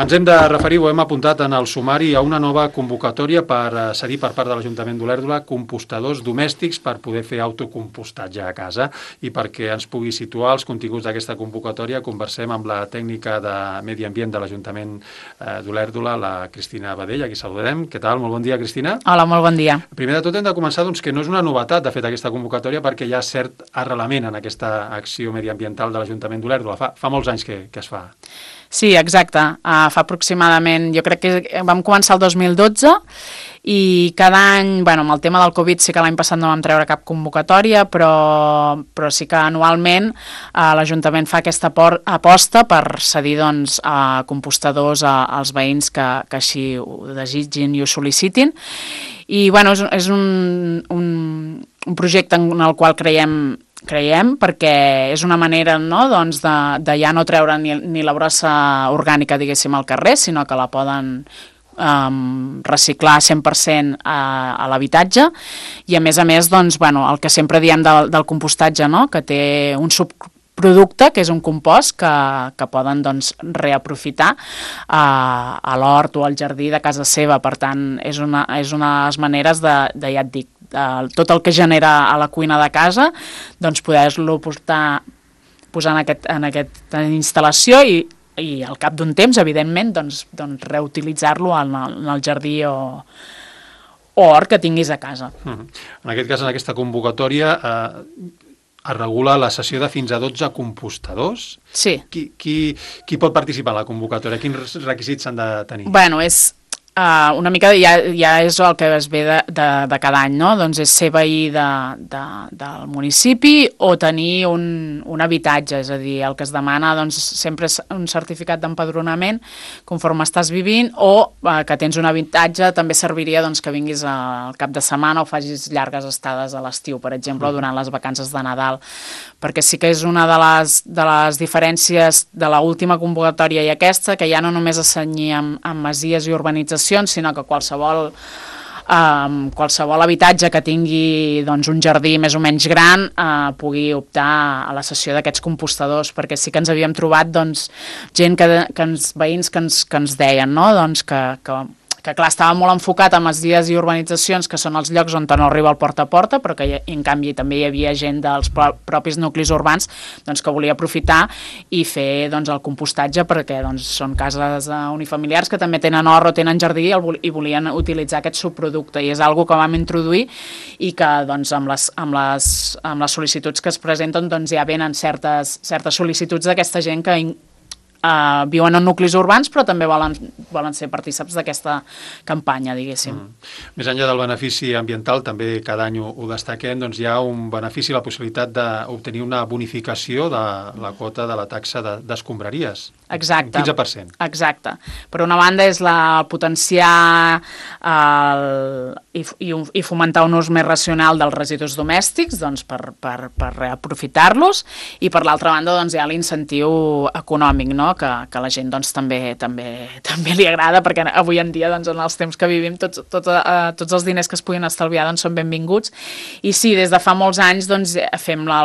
Ens hem de referir, ho hem apuntat en el sumari, a una nova convocatòria per cedir per part de l'Ajuntament d'Olèrdola compostadors domèstics per poder fer autocompostatge a casa. I perquè ens pugui situar els continguts d'aquesta convocatòria, conversem amb la tècnica de Medi Ambient de l'Ajuntament d'Olèrdola, la Cristina Badell, a qui saludem. Què tal? Molt bon dia, Cristina. Hola, molt bon dia. Primer de tot hem de començar que no és una novetat, de fet, aquesta convocatòria, perquè hi ha cert arrelament en aquesta acció mediambiental de l'Ajuntament d'Olèrdola. Fa molts anys que es fa. Sí, exacte. Fa aproximadament, jo crec que vam començar el 2012 i cada any, amb el tema del Covid sí que l'any passat no vam treure cap convocatòria, però sí que anualment l'Ajuntament fa aquesta aposta per cedir a compostadors als veïns que així ho desitgin i ho sol·licitin. I és un projecte en el qual creiem perquè és una manera de ja no treure ni la brossa orgànica, diguéssim, al carrer, sinó que la poden reciclar 100% a l'habitatge i a més, el que sempre diem del compostatge, que té un subproducte, que és un compost que poden reaprofitar a l'hort o al jardí de casa seva. Per tant, és una de les maneres ja et dic, tot el que genera a la cuina de casa, poder-lo posar en aquesta instal·lació i al cap d'un temps, evidentment, reutilitzar-lo en el jardí o hort que tinguis a casa. En aquest cas, en aquesta convocatòria, es regula la cessió de fins a 12 compostadors. Sí. Qui pot participar en la convocatòria? Quins requisits s'han de tenir? És una mica ja és el que es ve de cada any, no? Doncs és ser veí del municipi o tenir un habitatge, és a dir, el que es demana sempre és un certificat d'empadronament conforme estàs vivint o que tens un habitatge. També serviria que vinguis al cap de setmana o facis llargues estades a l'estiu, per exemple, o durant les vacances de Nadal, perquè sí que és una de les diferències de l'última convocatòria i aquesta, que ja no només es cenyia amb masies i urbanitzacions, sinó que qualsevol habitatge que tingui un jardí més o menys gran pugui optar a la cessió d'aquests compostadors, perquè sí que ens havíem trobat gent, veïns que ens deien que clar, estava molt enfocat a masies i urbanitzacions, que són els llocs on no arriba el porta a porta, però que en canvi també hi havia gent dels propis nuclis urbans que volia aprofitar i fer el compostatge, perquè són cases unifamiliars que també tenen hort o tenen jardí i volien utilitzar aquest subproducte, i és algo que vam introduir i que amb les sol·licituds que es presenten ja venen certes sol·licituds d'aquesta gent que viuen en nuclis urbans, però també volen ser partícips d'aquesta campanya, diguéssim. Més enllà del benefici ambiental, també cada any ho destaquem, hi ha un benefici, la possibilitat d'obtenir una bonificació de la quota de la taxa d'escombraries. Exacte. Un 15%. Exacte. Per una banda és la potenciar i fomentar un ús més racional dels residus domèstics per reaprofitar-los, i per l'altra banda hi ha l'incentiu econòmic, que a la gent també li agrada, perquè avui en dia en els temps que vivim tots els diners que es puguin estalviar són benvinguts. I sí, des de fa molts anys fem la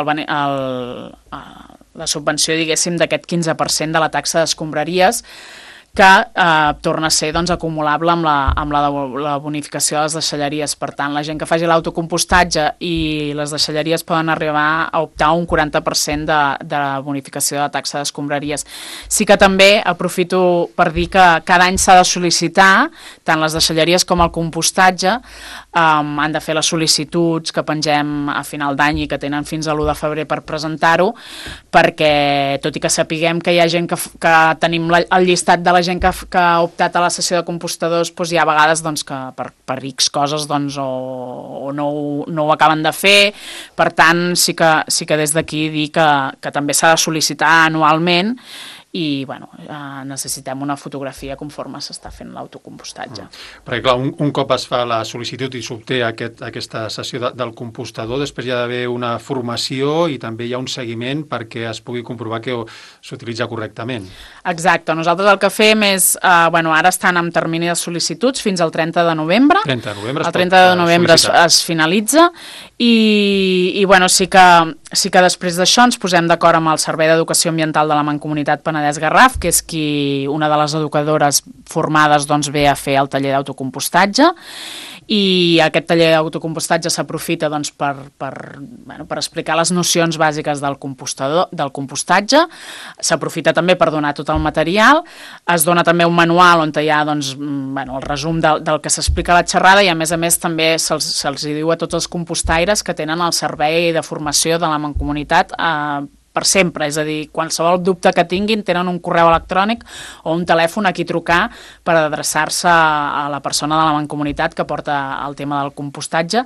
subvenció, diguéssim, d'aquest 15% de la taxa d'escombraries, que torna a ser acumulable amb la bonificació de les deixalleries. Per tant, la gent que faci l'autocompostatge i les deixalleries poden arribar a optar a un 40% de bonificació de la taxa d'escombraries. Sí que també aprofito per dir que cada any s'ha de sol·licitar, tant les deixalleries com el compostatge, han de fer les sol·licituds que pengem a final d'any i que tenen fins a l'1 de febrer per presentar-ho, perquè tot i que sapiguem que hi ha gent que tenim el llistat de la gent que ha optat a la sessió de compostadors, hi ha vegades que per X coses o no ho acaben de fer. Per tant, sí que des d'aquí dir que també s'ha de sol·licitar anualment i necessitem una fotografia conforme s'està fent l'autocompostatge. Perquè clar, un cop es fa la sol·licitud i s'obté aquesta sessió del compostador, després hi ha d'haver una formació i també hi ha un seguiment perquè es pugui comprovar que s'utilitza correctament. Exacte. Nosaltres el que fem és, ara estan en termini de sol·licituds fins al 30 de novembre. El 30 de novembre es finalitza i sí que després d'això ens posem d'acord amb el Servei d'Educació Ambiental de la Mancomunitat Penedès Penedès-Garraf, que és una de les educadores formades doncs, ve a fer el taller d'autocompostatge, i aquest taller d'autocompostatge s'aprofita doncs, per explicar les nocions bàsiques del compostatge, s'aprofita també per donar tot el material, es dona també un manual on hi ha doncs, el resum del que s'explica a la xerrada, i a més també se'ls diu a tots els compostaires que tenen el servei de formació de la Mancomunitat per sempre, és a dir, qualsevol dubte que tinguin tenen un correu electrònic o un telèfon a qui trucar per adreçar-se a la persona de la Mancomunitat que porta el tema del compostatge,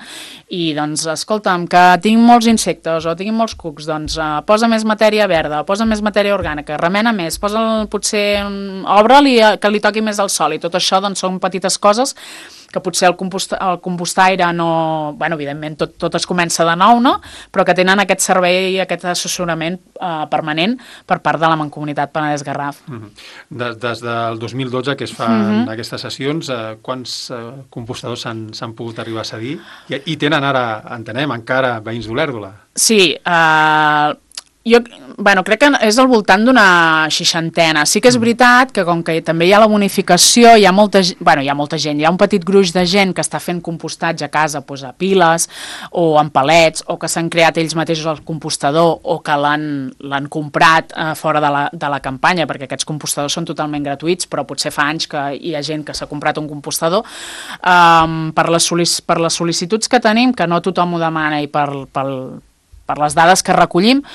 i doncs, escolta'm, que tinc molts insectes o tinc molts cucs, doncs posa més matèria verda, posa més matèria orgànica, remena més, potser obre-li que li toqui més el sol, i tot això doncs són petites coses que potser el compostaire no... evidentment, tot es comença de nou, no? Però que tenen aquest servei i aquest assessorament permanent per part de la Mancomunitat Penedès-Garraf. Des del 2012 que es fan aquestes sessions, quants compostadors s'han pogut arribar a cedir? I tenen ara, entenem, encara veïns d'Olèrdola? Sí, jo crec que és al voltant d'una 60. Sí que és veritat que com que també hi ha la bonificació, hi ha molta gent, hi ha un petit gruix de gent que està fent compostatge a casa, doncs a piles o en palets, o que s'han creat ells mateixos el compostador, o que l'han comprat fora de la campanya, perquè aquests compostadors són totalment gratuïts, però potser fa anys que hi ha gent que s'ha comprat un compostador. Per les sol·licituds que tenim, que no tothom ho demana, i per les dades que recollim,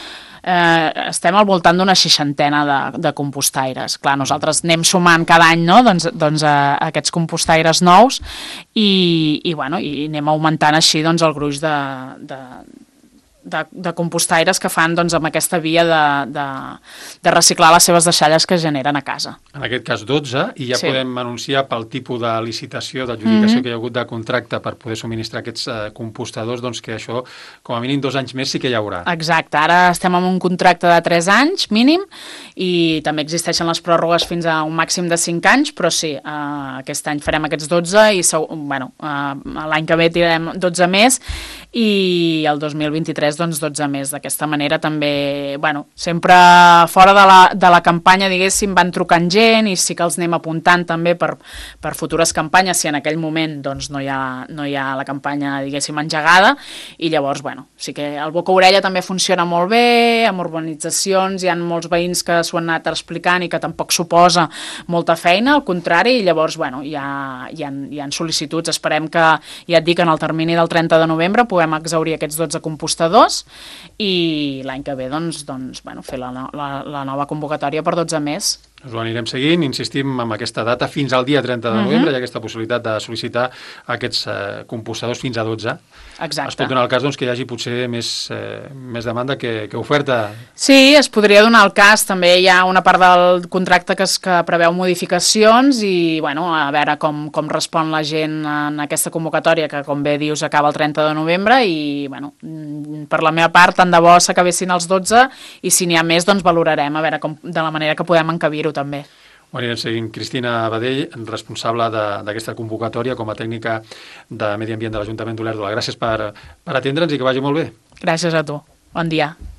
estem al voltant d'una 60 de compostaires. Clar, nosaltres anem sumant cada any, no? doncs aquests compostaires nous, i anem augmentant així doncs, el gruix de compostaires que fan doncs, amb aquesta via de reciclar les seves deixalles que generen a casa. En aquest cas 12, i ja podem anunciar pel tipus de licitació, d'adjudicació que hi ha hagut de contracte per poder subministrar aquests compostadors, doncs que això, com a mínim 2 anys més sí que hi haurà. Exacte, ara estem amb un contracte de 3 anys mínim, i també existeixen les pròrrogues fins a un màxim de 5 anys, però sí, aquest any farem aquests 12, i l'any que ve tirarem 12 més, i el 2023 doncs 12 més. D'aquesta manera també, sempre fora de la campanya, diguéssim, van trucant gent, i sí que els anem apuntant també per futures campanyes, si en aquell moment doncs no hi ha la campanya, diguéssim, engegada, i llavors, sí que el boca-orella també funciona molt bé, amb urbanitzacions hi ha molts veïns que s'ho han anat explicant i que tampoc suposa molta feina, al contrari, i llavors, hi ha sol·licituds. Esperem que, ja et dic, en el termini del 30 de novembre puguem exhaurir aquests 12 compostadors, i l'any que ve fer la nova convocatòria per 12 més. Us ho anirem seguint, insistim en aquesta data fins al dia 30 de novembre, hi ha aquesta possibilitat de sol·licitar aquests compostadors fins a 12. Exacte. Es pot donar el cas que hi hagi potser més demanda que oferta. Sí, es podria donar el cas. També hi ha una part del contracte que preveu modificacions, i a veure com respon la gent en aquesta convocatòria, que com bé dius acaba el 30 de novembre, i per la meva part tant de bo s'acabessin els 12, i si n'hi ha més doncs valorarem a veure de la manera que podem encabir-ho també. Ho anirem seguint. Cristina Badell, responsable d'aquesta convocatòria com a tècnica de Medi Ambient de l'Ajuntament d'Olèrdola. Gràcies per atendre'ns i que vagi molt bé. Gràcies a tu. Bon dia.